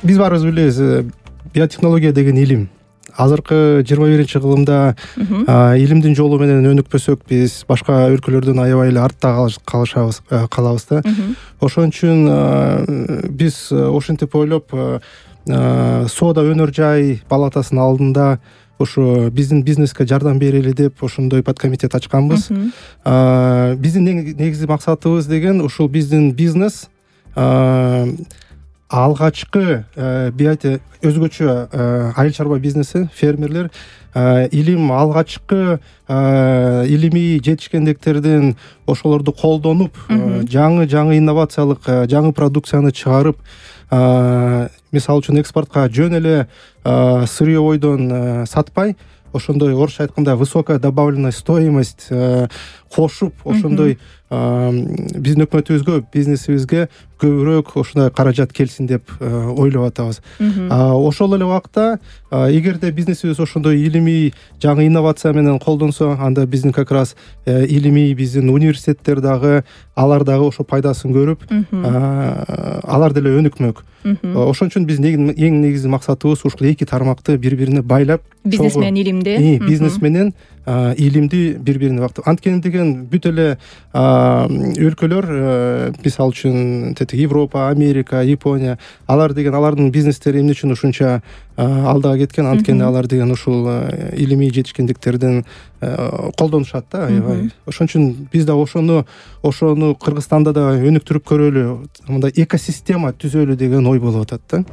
биз баарыбыз билебиз, биотехнология деген илим. Азыркы 21-кылымда илимдин жолу менен өнүкпөсөк, биз башка өлкөлөрдөн аябай эле артта калабыз да. Ошон үчүн биз ошентип ойлоп, соода өнөр жай палатасынын алдында ошо биздин бизнеске жардам берели деп ошондой подкомитет ачканбыз. Биздин негизги максатыбыз деген ушул биздин бизнес алгачкы өзгөчө айыл чарба бизнеси, фермерлер илим алгачкы илимий жетишкендиктердин ошолорду колдонуп, жаңы инновациялык жаңы продукцияны чыгарып, мисалы үчүн экспортко жөн эле сырьевойдон сатпай, ошондой орусча айтканда высокая добавленная стоимость кошуп, ошондой биздин өкмөтүбүзгө, бизнесибизге көбүрөөк ошондой каражат келсин деп ойлоп атабыз. Ошол эле убакта эгерде бизнесибиз ошондой илимий жаңы инновация менен колдонсо, анда биздин как раз илимий биздин университеттер дагы, алар дагы ошо пайдасын көрүп, алар деле өнүкмөк. Ошон үчүн биздин эң негизги максатыбыз ушул эки тармакты бири-бирине байлап, бизнес менен илимди, бизнес менен илимди бири-бирине бактып. Анткени деген бүт эле өлкөлөр, мисалы үчүн Европа, Америка, Япония, алар деген алардын бизнестери эмне үчүн ушунча алдыга кеткен? Анткени алар деген ушул илимий жетишкендиктердин колдонушат да, аябай. Ошон үчүн биз да ошону Кыргызстанда да өнүктүрүп көрөлү, мындай экосистема түзөлү деген ой болуп атат да.